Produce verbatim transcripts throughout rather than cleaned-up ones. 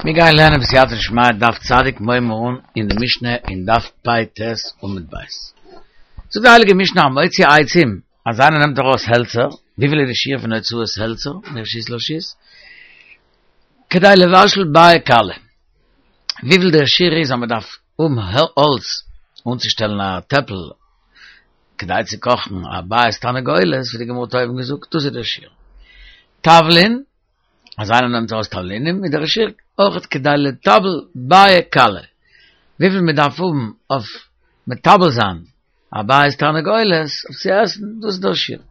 מיר גייען לערנען בסייעתא דשמיא דף צדיק מיר הייבן אן אין די משנה אין דף פ"ט עמוד ב'. זאגט די הייליגע משנה המוציא עצים, אז איינער נעמט ארויס העלצער, וויפיל איז די שיעור פון הוצאת העלצער מרשות לרשות? כדי לבשל ביעי קלא, וויפיל דער שיעור איז אז מען דארף האבן האלץ אנצושטעלן א טעפל כדי צו קאכן א ביעת תרנגולת, ווי די גמרא האט אויבן געזאגט, דאס איז דער שיעור. תבלין, אז איינער נעמט ארויס תבלינים איז דער שיעור אויך כדי לטבל ביעי קלא, וויפיל מען דארף האבן אויף מטבל זיין א ביעת תרנגולת אויף צו עסן, דאס איז דער שיעור.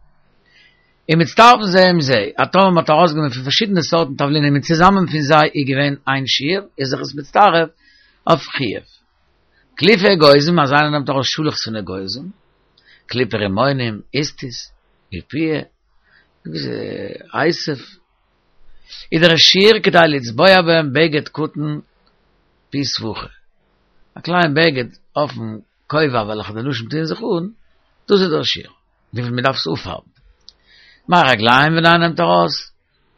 און מצטרפין זה עם זה, אז טאמער מען האט ארויסגענומען פון פארשידענע סארטן תבלינים און צוזאמען פון זיי איז געווען איין שיעור, איז זיך עס מצטרף אויף חיוב. קליפי אגוזים, אז איינער נעמט ארויס שאלעכץ פון אגוזים, קליפי רימונים, איסטניס, איפיה, אייתב, איז דער שיעור כדי לצבוע בהם בגד קטן פי סבוכה. א קליין בגד אויפן כובע וועלכע די נשים טוען זיך אן, דאס איז דער שיעור, וויפיל מען דארף עס אפפארבן. מי רגליים ווען איינער נעמט ארויס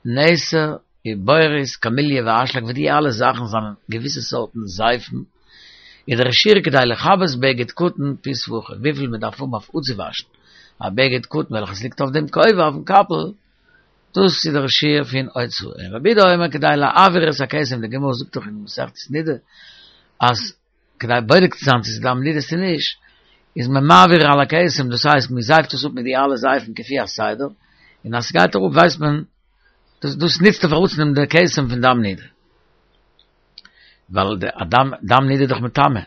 נתר, ובורית, קמיליה ואשלג ווי די אלע זאכן זענען געוויסע סארטן זייפן, איז דער שיעור כדי לכבס בגד קטן פי סבוכה, וויפיל מען דארף האבן אויף אפצואוואשן א בגד קטן וועלכעס ליגט אויף דעם כובע אויפן קאפל, דאס איז דער שיעור פון הוצאה. און רבי יהודה אומר כדי להעביר את הכתם, די גמרא זאגט דאך אין מסכת נידה אז כדי בודק צו זיין צו ס'איז דם נידה צו נישט, איז מען מעביר על הכתם, דאס הייסט מען זייפט עס אפ מיט די אלע זייפן כפי הסדר, און אז ס'גייט אראפ ווייסט מען, דאס דאס נוצט אויף אראפצונעמען די כתם פון דם נידה. ווייל די דם דם נידה איז דאך מטמא.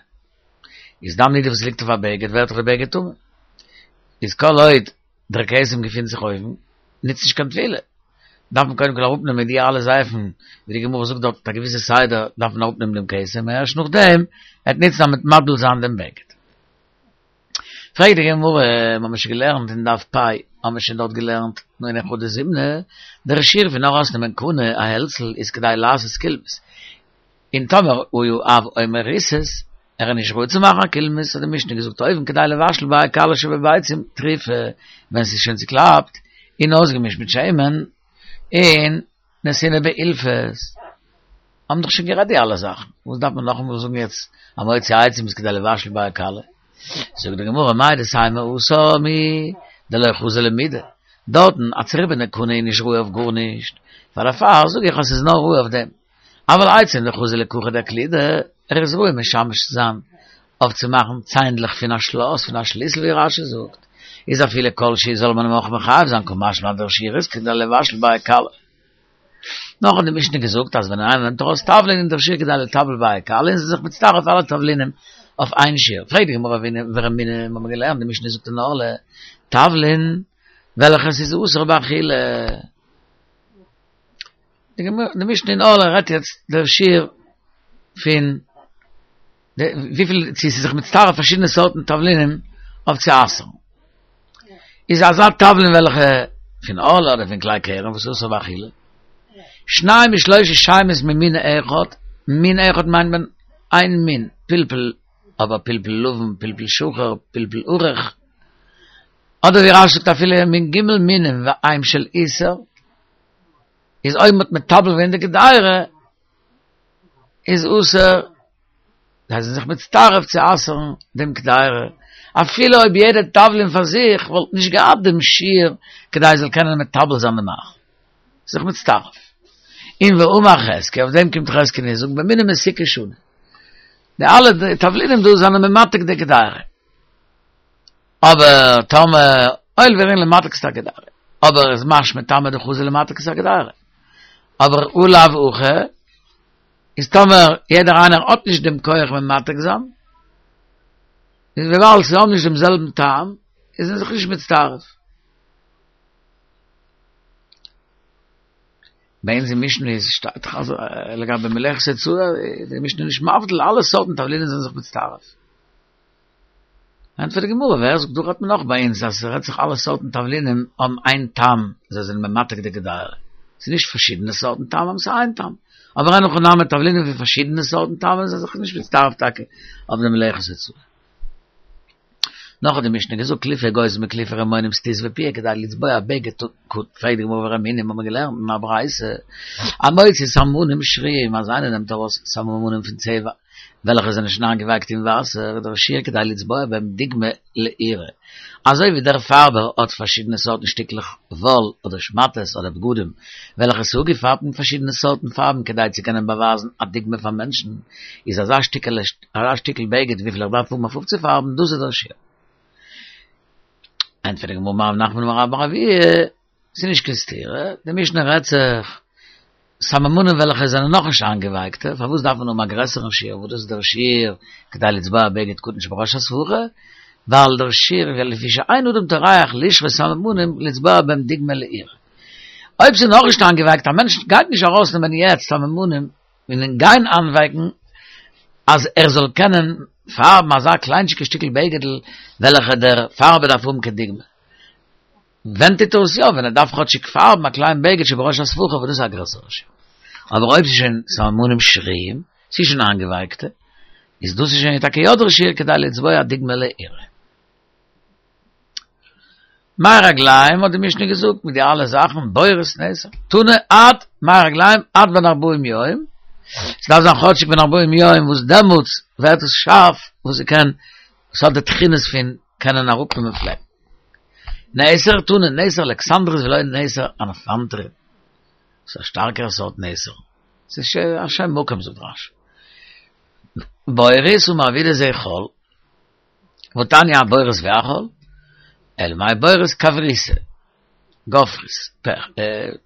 איז דם נידה וואס ליגט אויף א בגד ווערט דאך די בגד טמא. איז כל עוד דער כתם געפינט זיך אויבן, נוצט נישט קיין טבילה. דארף מען קודם כל אראפנעמען מיט די אלע זייפן, ווי די גמרא זאגט דארט מיט א געוויסע סדר דארף מען אראפנעמען דעם כתם, ערשט נאכדעם וועט נוצן אז מ'וועט מטביל זיין דעם בגד. פרעגט די גמרא, מ'האמיר שוין געלערנט אין דף פ', האמיר שוין דארט געלערנט, נו אין חדא זימנא, דער שיעור פון ארויסנעמען קנה א העלצל איז כדי לעשות קולמוס, און טאמער היה אב אומר ריסוס, ער איז נישט ראוי צו מאכן א קולמוס, האט די משנה געזאגט אויבן כדי לבשל ביעי קלא שבביצים טרופה, ווען ס'איז שוין צוקלאפט און אויסגעמישט מיט שמן, און נתינה באילפס. האבן דאך שוין גערעדט די אלע זאכן, וואס דארף מען נאכאמאל זאגן יעצט המוציא עצים איז כדי לבשל ביעי קלא? זאגט די גמרא מהו דתימא התם הוא דלא חזי למידי, דארטן א צוריבענע קנה איז נישט ראוי אויף גארנישט, פאר דערפאר זאג איך אז ס'איז נאר ראוי אויף דעם. אבל עצים דחזי לכרכא דקלידי, ער איז ראוי משמש צו זיין אויף צו מאכן ציינדלעך פון א שלאס, פון א שליסל ווי רש"י זאגט, איז אפילו כל שהוא זאל מען אים אויך מחייב זיין קא משמע לן דער שיעור איז כדי לבשל ביעי קלא. נאך האט די משנה געזאגט אז ווען איינער נעמט ארויס תבלין איז דער שיעור כדי לטבל ביעי קלא און ס'איז זיך מצטרף אלע תבלינים אויף איין שיעור. פרעגט די גמרא ורמינהו, מיר האבן געלערנט די משנה זאגט אין ערלה תבלין וועלכעס איז אסור באכילה. די משנה אין ערלה רעדט יעצט דער שיעור פון וויפיל צו ס'איז זיך מצטרף פארשידענע סארטן תבלינים אויף צו אסר'ן. איז אזא תבלין וועלכע פון ערלה אדער פון כלאי כרם וואס איז אסור באכילה. שניים משלושה שמות ממין אחד, מין אחד מיינט מען איין מין, פלפל, אבער פלפל לבן, פלפל שחור, פלפל ארוך, אדער ווי רש"י זאגט אפילו מן ג' מינים והם של איסור, איז אויב מ'האט מטבל געווען די קדירה איז אסור, זיי זענען זיך מצטרף צו אסר'ן דעם קדירה, אפילו אויב יעדע תבלין פאר זיך וואלט נישט געהאט דעם שיעור כדי עס זאל קענען מטבל זיין די מאכל, זיך מצטרף. און ואמר חזקיה, אויף דעם קומט חזקיה און זאגט במיני מתיקה שנו, די אלע תבלינים דא זענען ממתק די קדירה. אבער טאמער הואיל וראויין למתק את הקדירה, אבער איז משמע טעמא דחזי למתק את הקדירה, אבער הא לאו הכי, איז טאמער יעדער איינער האט נישט דעם כח ממתק זיין, איז וויבאלד זיי האבן נישט דעם זעלבן טעם, איז מען זיך נישט מצטרף. ביי אונז אין משנה איז שטייט דאך אז לגבי מלאכת הוצאה איז די משנה נישט מבדיל, אלע סארטן תבלינים זענען זיך מצטרף. ענטפערט די גמרא, ווער זאגט דא רעדט מען נאך ביי אונז אז ס'רעדט זיך אלע סארטן תבלינים האבן איין טעם, זיי זענען ממתק די קדירה, ס'איז נישט פארשידענע סארטן טעמים, ס'איז איין טעם, אבער אין הכי נמי תבלינים פון פארשידענע סארטן טעמים זענען זיך נישט מצטרף טאקע אויף די מלאכת הוצאה. נאך האט די משנה געזאגט קליפי אגוזים וקליפי רימונים סטיס ופיע כדי לצבוע בגד קטן, פרעגט די גמרא ורמינהי האבן מיר געלערנט אין א ברייתא המוציא סממנים שרויים אז איינער נעמט ארויס סממנים פון צבע וועלכע זענען שוין איינגעווייקט אין וואסער דער שיעור כדי לצבוע בהם דוגמא לעירה אזוי ווי דער פארבער האט פארשידענע סארטן שטיקלעך וואל אדער שמאטעס אדער בגדים וועלכע איז אפגעפארבט מיט פארשידענע סארטן פארבן כדי צו קענען באווייזן א דוגמא פאר מענטשן, איז אזא שטיקעלע אזא שטיקל בגד וויפיל איך דארף האבן אויף אפצופארבן, דאס איז דער שיעור. ענטפערט די גמרא אמר רב נחמן אמר רבה בר אבוה, ס'איז נישט קיין סתירה, די משנה רעדט זיך סממנים וועלכע זענען נאכנישט איינגעווייקטע, פארוואס דארף מען האבן א גרעסערן שיעור וואס דאס איז דער שיעור כדי לצבוע בגד קטן שבראש הספכה, ווייל דער שיעור איז לפי שאין אדם טורח לשרות סממנים לצבוע בהם דוגמא לעירה. אויב ס'איז נאכנישט איינגעווייקט, א מענטש גייט נישט ארויסנעמען יעצט סממנים און גיין איינווייקן אז ער זאל קענען פארבן אזא קליינטשיגע שטיקל בגד'ל וועלכע דער פארבער דארף האבן כדוגמא. ווען טוט ער עס יא? ווען ער דארף כאטשיג פארבן א קליין בגד שבראש הספכה וואס דאס איז א גרעסערע שיעור. אבער אויב ס'איז שוין סממנים שרויים, ס'איז שוין איינגעווייקטע, איז דאס איז שוין טאקע יא דער שיעור כדי לצבוע דוגמא לעירה. מי רגליים האט די משנה געזאגט מיט די אלע זאכן בורית נתר תנא עד מי רגליים עד בן ארבעים יום, ס'דארף זיין כאטשיג בן ארבעים יום וואס דעמאלטס ווערט עס שארף וואס ס'קען, ס'האט די תכונות פון קענען אראפנעמען פלעקן. נתר תנא נתר אלכסנדרית ולא נתר אנפנטרין. ס'איז א שטארקערע סארט נתר. ס'איז א שם מקום זאגט רש"י. בורית אמר רב יהודה זה חול. והתניא הבורית והחול. אלא מאי בורית כבריתא. גופרית, פעך,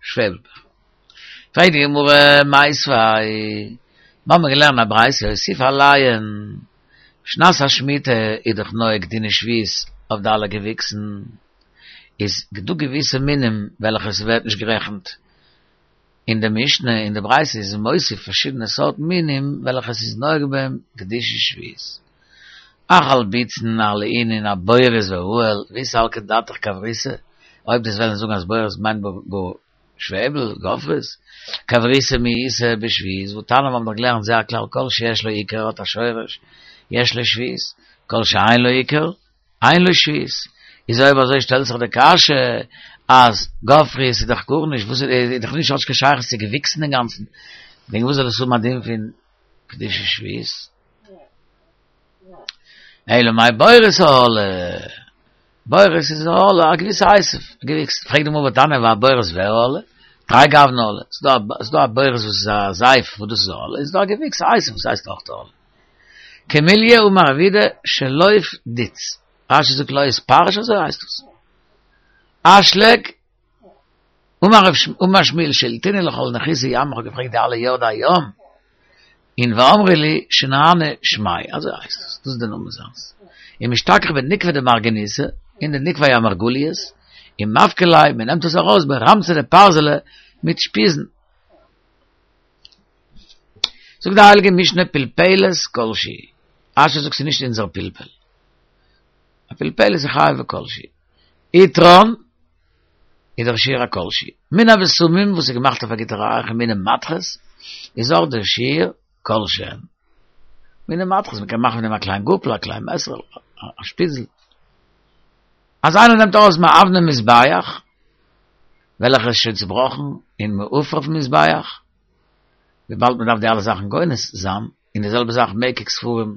שוועבל פעך. פרעגט די גמרא, מיתיבי, מיר האבן געלערנט א ברייתא, הוסיף עליהן, שנת השמיטה איז דאך נוהג דיני שביעית אויף די אלע געוויקסן, איז דא געוויסע מינים וועלכע ס'ווערט נישט גערעכנט אין די משנה, אין די ברייתא איז מוסיף פארשידענע סארט מינים וועלכע ס'איז נוהג בהם קדושת שביעית. אכל בוצין אהלאינן אבורית ואהל, ואי סלקא דעתך כבריתא, אויב דו'סט וועלן זאגן אז בורית מיינט גאר שוועבל, גופרית, כבריתא מי איתא בשביעית, והתניא מיר האבן דאך געלערנט זה הכלל כל שיש לו עיקר האט א שורש, יש לו שביעית, כל שאין לו עיקר, אין לו שביעית. איז אויב אזוי שטעלט זיך די קשיא אז גופרית איז דאך גארנישט, וואס איז דאך נישט האט נישט קיין שייכות צו געוויקסן אינגאנצן, וועגן וואס זאל עס האבן א דין פון קדושת שביעית? אלא מאי בורית אהלא, בורית איז אהלא, א געוויסע עשב, א געוויקס, פרעגט די גמרא והתניא והבורית והאהלה, תרי גווני אהלא, ס'איז דא א בורית וואס איז א זייף וואס דאס איז אהלא, איז דא א געוויקס א עשב וואס הייסט אויך אהלא. כמיליא אמר רב יהודה שלוף דוץ, רש"י זאגט לא איתפרש אזוי הייסט עס. אשלג אמר שמואל שאילתינהו לכל נחותי ימא איך האב געפרעגט די אלע יורדי הים און ואמרו לי שנאנא שמיה אזוי הייסט עס דאס איז די נאמען זיינס ומשתכח בנקבא דמרגניתא אין די נקבי המרגליות ומפקי ליה מען נעמט עס ארויס ברמצא דפרזלא מיט שפיזן זאגט די הייליגע משנה פלפלת כל שהיא רש"י זאגט ס'איז נישט אונזער פלפל א פלפלת איז חייב בכל שהוא עטרן איז דער שיעור א כל שהוא. מן הבשמים וואס איז געמאכט אויף א גוטע ריח און מיני מתכות איז אויך דער שיעור כל שהן. מיני מתכות, מ'קען מאכן פון דעם א קליין גאפל, א קליין מעסערל, א שפיזל. אז איינער נעמט ארויס מאבני מזבח, וועלכע איז שוין צובראכן, און מעפר אויפן מזבח, וויבאלד מ'דארף די אלע זאכן גונז זיין, און די זעלבע זאך מקק ספרים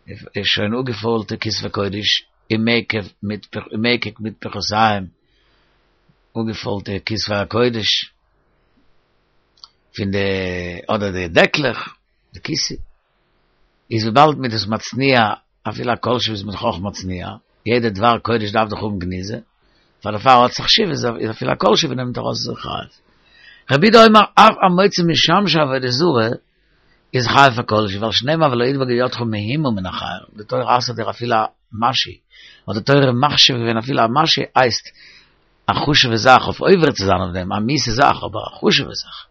איז שוין אפגעפוילטע כתבי קודש און מקב מקק מטפחותיהם אפגעפוילטע כתבי הקודש פון די אדער די דעקלעך די כיסוי איז וויבאלד מ'איז דאס מצניע אפילו א כל שהוא איז מען דאך אויך מצניע יעדע דבר קודש דארף דאך האבן גניזה פאר דערפאר האט זיך חשיבות איז אפילו א כל שהוא נעמט ארויס איז חייב רבי יהודה אומר אף המוציא משמשי עבודה זרה איז חייב פאר כל שהוא, ווייל שנאמר ולא ידבק בידך מהומה מן החיים, די תורה אסר'ט דיר אפילו א משהו, האט די תורה מחשיב געווען אפילו א משהו הייסט א חשוב'ע זאך אויף עובר צו זיין אויף דעם, א מיאוס'ע זאך אבער א חשוב'ע זאך.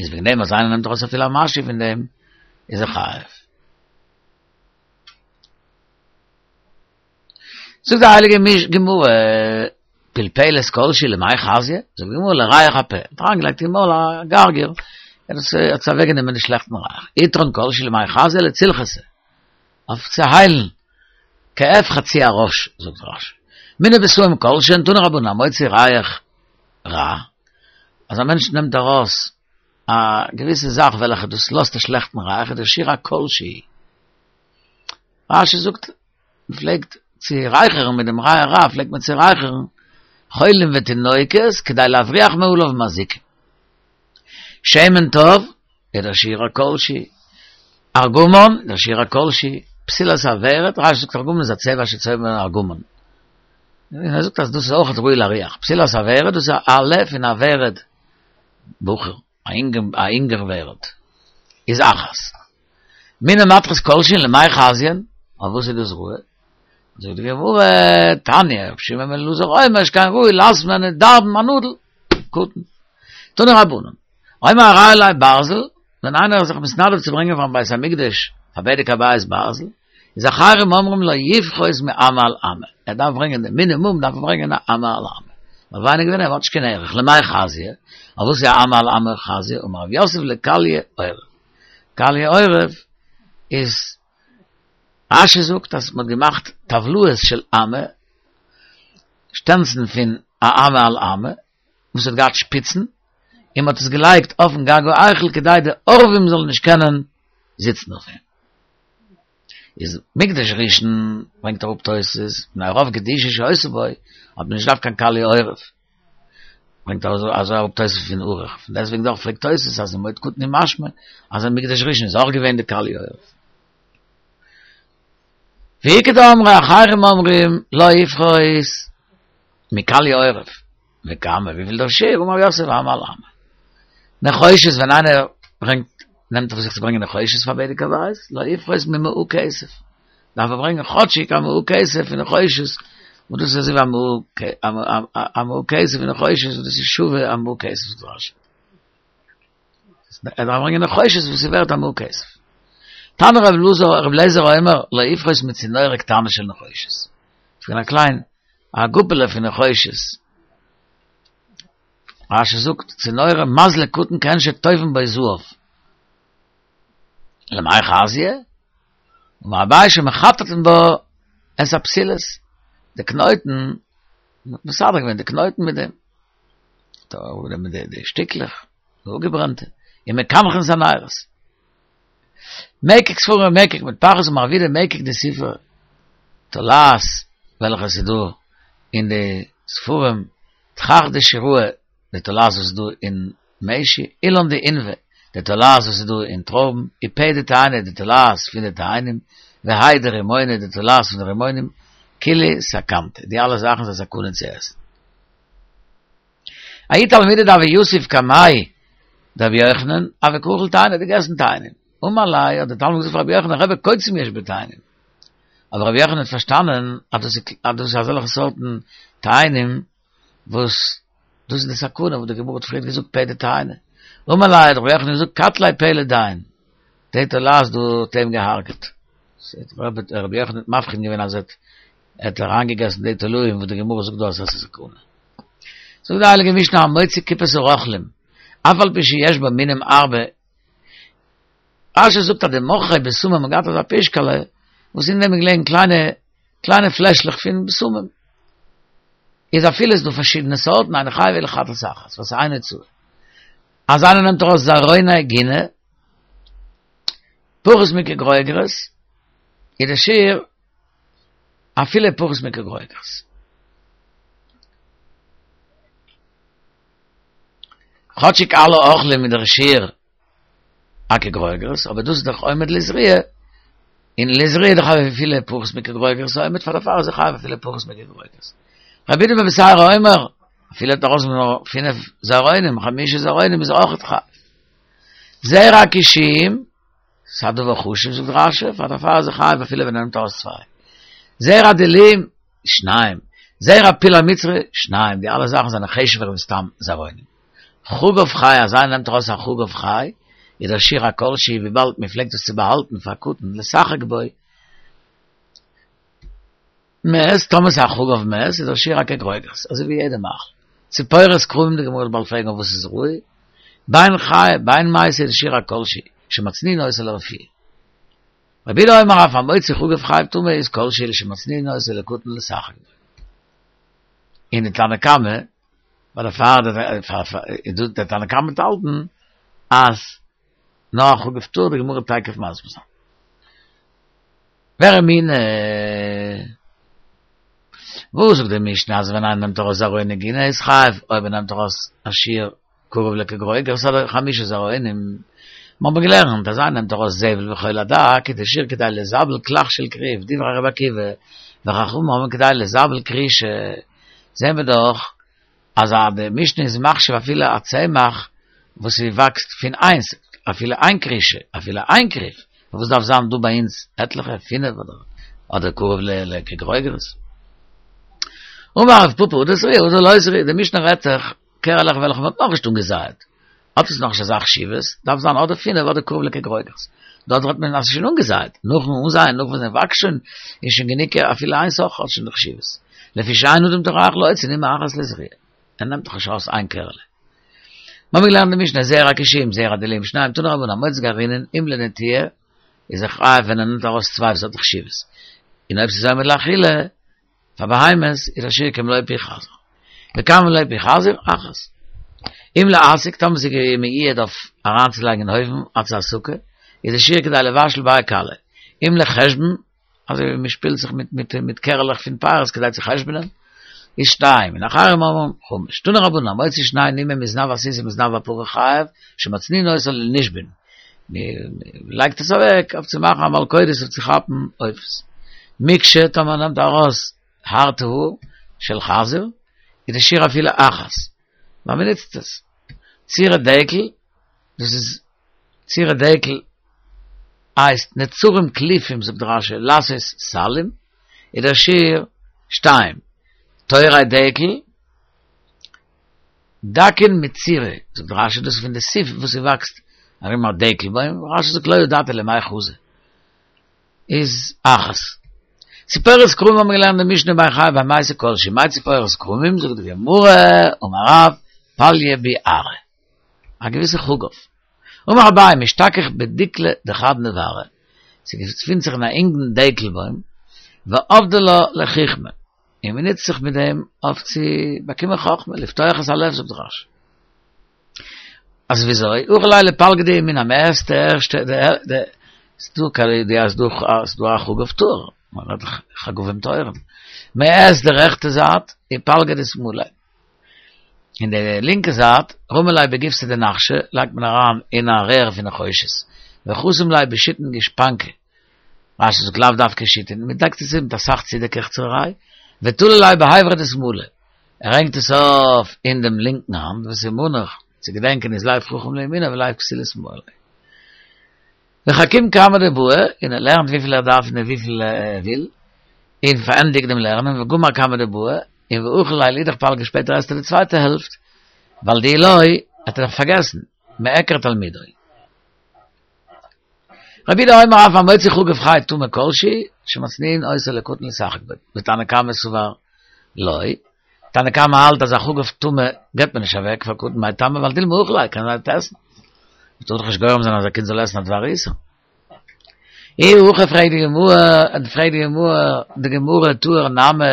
איז וועגן דעם אז איינער נעמט ארויס אפילו א משהו פון דעם איז ער חייב. זאגט די הייליגע גמרא, פלפלת כל שהיא למאי חזיא? זאגט די גמרא, לריח הפה, האט אריינגעלייגט אין מויל א גרגיר, עס האט אוועקגענומען די שלעכטן ריח, עטרן כל שהיא למאי חזיא לצלחתא, אויף צו היילן, כאב חצי הראש, זאגט רש"י. מיני בשמים כל שהן תנו רבנן, המוציא ריח רע, אז א מענטש נעמט ארויס א געוויסע זאך וועלכע דאס לאזט א שלעכטן ריח, איז דער שיעור א כל שהוא. רש"י זאגט, מען פלעגט צו רייכערן מיט דעם ריח רע, פלעגט מען צו רייכערן חולים ותינוקות כדי להבריח מעליו מזיקים. שמן טוב, איז דער שיעור א כל שהוא. ארגמן, דער שיעור א כל שהוא. פתילת הוורד, רש"י זאגט ארגמן איז א צבע שצובעים ארגמן. און ער זאגט אז דאס איז אויך ראוי להריח. פתילת הוורד, דאס איז א עלה פון א ורד בחור, א אינגער ורד, איז אחת. מיני מתכות כל שהן למאי חזיין, אויף וואס איז דאס ראוי? זאגט די גמרא, תניא, רבי שמעון בן אלעזר אומר שכן ראוי לאסמן און דארבן א נאדל, קטן. תנו רבנן, האומר הרי עלי ברזל, ווען איינער איז זיך מתנדב צו ברענגען פארן בית המקדש, פאר בדק הבית ברזל, איז אחרים אומרים לא יפחות מאמה על אמה, ער דארף ברענגען די מינימום דארף ער ברענגען א אמה על אמה, ווייל ווייניגער ווי דעם האט נישט קיין ערך, למאי חזיא, אויף וואס איז א אמה על אמה חזיא, אמר רב יוסף לקליא עורב, קליא עורב איז, רש"י זאגט אז מען האט געמאכט טבלאות של אמה, שטענצן פון א אמה על אמה, וואס האט געהאט שפיצן, און מען האט עס געלייגט אויפן גג ההיכל כדי די עורבים זאלן נישט קענען זיצן אויף אים. איז מקדש ראשון ברענגט אראפ תוס' מפני רוב קדושה שהיתה בו האט מען נישט געדארפט קיין קליא עורב, ברענגט אזוי אראפ תוס' פון ערוך, פון דעסטוועגן דאך פרעגט תוס' אז אין מועד קטן איז משמע אז אין מקדש ראשון איז אויך געווען די קליא עורב. ואיכא דאמרי אחרים אומרים לא יפחות מקליא עורב. וכמה וויפיל דער שיעור אמר רב יוסף אמה על אמה. נחושת ווען איינער ברענגט נעמט אויף זיך צו ברענגען נחושת פאר בדק הבית לא יפחות ממעה כסף דארף ער ברענגען כאטשיג א מעה כסף פון נחושת און דאס איז אזוי ווי א מעה א מעה כסף פון נחושת און דאס איז שווה א מעה כסף זאגט רש"י ער דארף ברענגען נחושת וואס איז ווערט א מעה כסף תנא רבי אלעזר רבי אליעזר אומר לא יפחות מצינורא קטנה של נחושת פון א קליין א גופעלע פון נחושת. רש"י זאגט, צינורא מזלג קטן כעין שטווין בו זהב. למאי חזיא? אמר אביי שמחטטין בה את הפתילות. די קנויטן, מ'האט מסדר געווען די קנויטן מיט דעם. מיט די שטיקלעך, די אפגעברענטע. און מקנחין את הנרות. מקק ספרים ומקק מטפחות אמר רב יהודה מקק דספרי תולעת וועלכע עס איז דא אין די ספרים תכך דשיראי די תולעת וואס איז דא אין משי אילן דעינבא די תולעת וואס איז דא אין טרויבן ופאה דתאנה די תולעת פון די תאנים והאי דרימונא די תולעת פון די רימונים כולהו סכנתא די אלע זאכן זענען סכנה צו עסן. ההוא תלמידא דהוה יתיב קמיה דרבי יוחנן, הוה קא אכיל תאני, האט געגעסן תאנים. אמר ליה, האט דער תלמיד געזאגט פאר רבי יוחנן, רבי קוצים יש בתאנים. אבער רבי יוחנן האט פארשטאנען אז דאס אז דאס איז אזעלכע סארטן תאנים וואס דאס איז די סכנה וואס די גמרא האט פריער געזאגט פאה דתאנה. אמר ליה, האט רבי יוחנן געזאגט, קטליה פאה לדין. די תולעת דא האט אים געהארגעט. רבי יוחנן האט מבחין געווען אז ער האט אריינגעגעסן די תולעים וואס די גמרא זאגט דא אז עס איז סכנה. זאגט די הייליגע משנה המוציא קופת הרוכלים, אף על פי שיש בה מינים הרבה, רש"י זאגט אז די מוכרי בשמים האבן געהאט אזא פישקעלע וואס אין דעם איז געלעגן קליינע קליינע פלעשלעך פון בשמים, איז אפילו איז דא פארשידענע סארטן אינו חייב אלא חטאת אחת, וואס איז איין הוצאה. אז איינער נעמט ארויס זרעוני גינה, פחות מכגרוגרת, איז די שיעור אפילו פחות מכגרוגרת. כאטשיג אלע אוכלים איז דער שיעור א כגרוגרת, אבער דאס איז דאך עומד לזריעה, און לזריעה איז דאך אפילו פחות מכגרוגרת עומד, פאר דערפאר איז ער חייב אפילו פחות מכגרוגרת. רבי יהודה בן בתירא אומר, אפילו האט ארויס נאר פינף זרעונים, חמשה זרעונים איז אויך חייב. זרע הקישואים, ס'איז א דבר חשוב זאגט רש"י, פאר דערפאר איז ער חייב אפילו ווען ער נעמט ארויס צוויי. זרע דלועים, שניים. זרע פול המצרי, שניים. די אלע זאכן זענען חשוב'ער ווי סתם זרעונים. חגב חי, אז איינער נעמט ארויס א חגב חי, איז דער שיעור א כל שהוא וויבאלד מען פלעגט עס צו באהאלטן פאר קטן לשחק בו, מת, טאמער ס'איז א חגב מת, איז דער שיעור א כגרוגרת, אזוי ווי יעדע מאכל. ציפורת כרמים, די גמרא וועט באלד פרעגן אויף וואס איז ראוי, בין חיה בין מתה איז דער שיעור א כל שהוא, שמצניעין אותה לרפואה. רבי יהודה אומר אף המוציא חגב חייב טומאה איז כל שהוא שמצניעין אותו לקטן לשחק בו. אין די תנא קמא, ווייל דער פאר דער תנא קמא האט געהאלטן אז נאר חגב טהור די גמרא תיכף מסביר זיין. ורמינהי וואס זאגט די משנה אז ווען איינער נעמט ארויס זרעו נגינה איז חייב אויב ער נעמט ארויס א שיעור קרוב לכגרוגרת אדער חמשה זרעונים מיר האבן געלערנט אז איינער נעמט ארויס זבל וחול הדק איז די שיעור כדי לזבל קלח של כרוב דברי רבי עקיבא וחכמים אומרים כדי לזבל כרישה זעהן מיר דאך אז די משנה איז מחשיב אפילו א צמח וואס וואקסט פון איינס אפילו איין כרישה אפילו איין כרוב וואס דארף זיין דא ביי אונז עטליכע פינף אדער אדער קרוב לכגרוגרת אמר רב פפא הא דזריע הא דלא זריע די משנה רעדט זיך קערעלעך וועלכע מ'האט נאכנישט אנגעזייעט האט עס נאכנישט אזא חשיבות דארף זיין אדער פינף אדער קרוב לכגרוגרת דארט רעדט מען אז ס'איז שוין אנגעזייעט נאכן אנזייען נאך וואס עס וואקסט שוין איז שוין גענוג אפילו איינס אויך האט שוין די חשיבות לפי שאין אדם טורח להוציא נימא אחת לזריעה ער נעמט דאך נישט ארויס איין קערעלע מיר האבן געלערנט די משנה זרע הכושים זרע הדלועין שניים תנו רבנן המוציא גרעינין אם לנטיעה איז ער חייב ווען ער נעמט ארויס צוויי וואס האט חשיבות און אויב ס'איז עומד לאכילה פאר בהמות איז א שיעור כמלוא פי חזיר וכמה מלוא פי חזיר אחת אם להסיק טאמער ס'איז מיועד אויף אריינצולייגן אין אויוון אלס הסקה איז די שיעור כדי לבשל בי קלא אם לחשבון אזוי ווי מ'שפילט זיך מיט מיט מיט קערעלעך פון פירות כדי צו חשבונ'ען איז שתיים און אחרים אומרים חמש תנו רבנן המוציא שני נימין מזנב הסוס ומזנב הפרה חייב שמצניעין אותו לנישבין מ'לייגט עס אוועק אויף צו מאכן א מלכודת אויף צו כאפן עופות מקשה טאמער מ'נעמט ארויס הארטע האר של חזיר איז די שיעור אפילו אחת ווייל מ'נוצט עס צירי דקל דאס איז צירי דקל הייסט נצרים קלופים זאגט רשי לעשות סלים איז דער שיעור שתיים תורי דקל דקין מצירי זאגט רשי דאס איז פון די סיף וואס ס'וואקסט ארום א דקל בוים רשי זאגט לא ידעתי למאי חזי איז אחת ציפורת כרמים האבן מיר געלערנט די משנה ביי חייב במעשה כל שהוא מאי ציפורת כרמים זאגט די גמרא אמר רב פליא ביערא א געוויסע חגב אמר אביי משתכח בדיקלא דחד נברא ס'געפינט זיך אין א אינגן דקל בוים ועבדי לה לחכמה און מען נוצט זיך מיט דעם אויף צו באקומען חכמה, לפתוח את הלב זאגט רשי. אז וויאזוי? אכיל ליה לפלגא דימינא, מ'עסט די ערשטע, די די ס'דא קיין די אז דא אז דא א חגב טהור, מען רעדט דאך חגבים טהורים, מען עסט די רעכטע זייט און פלגא דשמאלא, און די לינקע זייט, רמי ליה בגיפסא דנחשא, לייגט מען אריין אין א רער פון נחושת, וחתים ליה בשיתין גושפנקא, רשי זאגט לאו דווקא שיתין, מען דעקט עס צו מיט אסאך צודעקעכצעריי, ותלי ליה בהיברא דשמאלא, ער הענגט עס אויף אין דעם לינקן האנט, וסימנך, צו געדענקען איז לב חכם לימינו ולב כסיל לשמאלו. וחכים כמה דבעי, און ער לערנט וויפיל ער דארף און וויפיל ער וויל, און פארענדיגט דעם לערנען, וגמר כמה דבעי, און ואכיל ליה לאידך פלגא שפעטער עסט ער די צווייטע העלפט, ווייל דאי לא, האט ער דאך פארגעסן, מיעקר תלמודו. רבי יהודה אומר אף המוציא חגב חי טמא כל שהוא שמצניעין אותו לקטן לשחק בו ותנא קמא סבר לא תנא קמא האלט אז א חגב טמא געבט מען נישט אוועק פאר קטן מאי טעמא ווייל דילמא אכיל ליה קען זיין ער וועט עסן מ'טאר דאך נישט גורם זיין אז א קינד זאל עסן א דבר איסור אי הכי פרעגט די גמרא פרעגט די גמרא די גמרא טהור נמי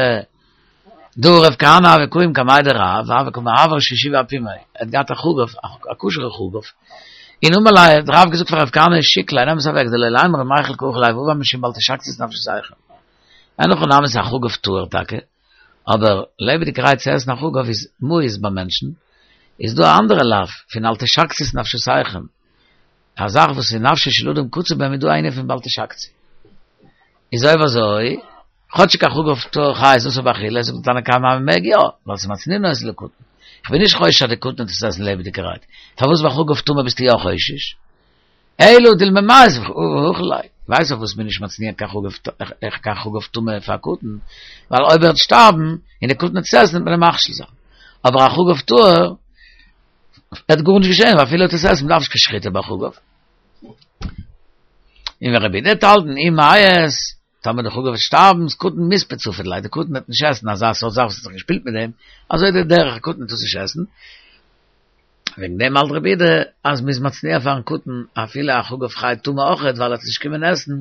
דהא רב כהנא הוה קאים קמיה דרב והוה קא מעבר שישיבא אפומיה ער האט געהאט א חגב א כשר'ע חגב און אמר ליה האט רב געזאגט פאר רב כהנא שיק ליה נעם עס אוועק דלא לימרו מיכל קא אכיל ליה ועבר משום בל תשקצו נפשותיכם אין הכי נמי ס'איז א חגב טהור טאקע אבער לעבעדיגערהייט צו עסן א חגב איז מיאוס ביי מענטשן איז דא א אנדערע לאו פון אל תשקצו את נפשותיכם א זאך וואס איז נפשו של אדם קצה בהם איז דא איינער פון בל תשקצו איז אויב אזוי כאטשיג א חגב טהור חי איז אסור באכילה, זאגט די תנא קמא אז מ'מעג יא, ווייל ס'איז מצניעין אותו לקטן. כ'בין נישט חושש אז די קטן וועט עס עסן לעבעדיגערהייט. פארוואס ביי חגב טמא ביסטו יא חושש? אלא דילמא מיית ואכיל ליה. ווייסט פארוואס מ'איז נישט מצניע קיין חגב טמא פאר א קטן? ווייל אויב ער וועט שטארבן און די קטן וועט עס עסן וועט מען אים מכשיל זיין. אבער א חגב טהור וועט גארנישט געשען, ווייל אפילו ער וועט עס עסן מ'דארף נישט קיין שחיטה ביי חגב. און ורבי יהודה האט געהאלטן אי מיית טאמער די חגב וועט שטארבן, קטן מספד ספיד ליה, די קטן וועט נישט עסן אזא סארט זאך וואס האט זיך געשפילט מיט דעם, אזוי די דרך א קטן וועט עס נישט עסן, וועגן דעם האלט רבי יהודה אז מ'איז מצניע פארן קטן אפילו א חגב חי טמא אויכעט ווייל ער וועט עס נישט קומען עסן,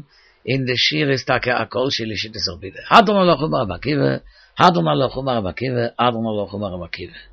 און די שיעור איז טאקע א כל שהוא לשיטת רבי יהודה. הדרן עלך אמר רבי עקיבא, הדרן עלך אמר רבי עקיבא, הדרן עלך אמר רבי עקיבא.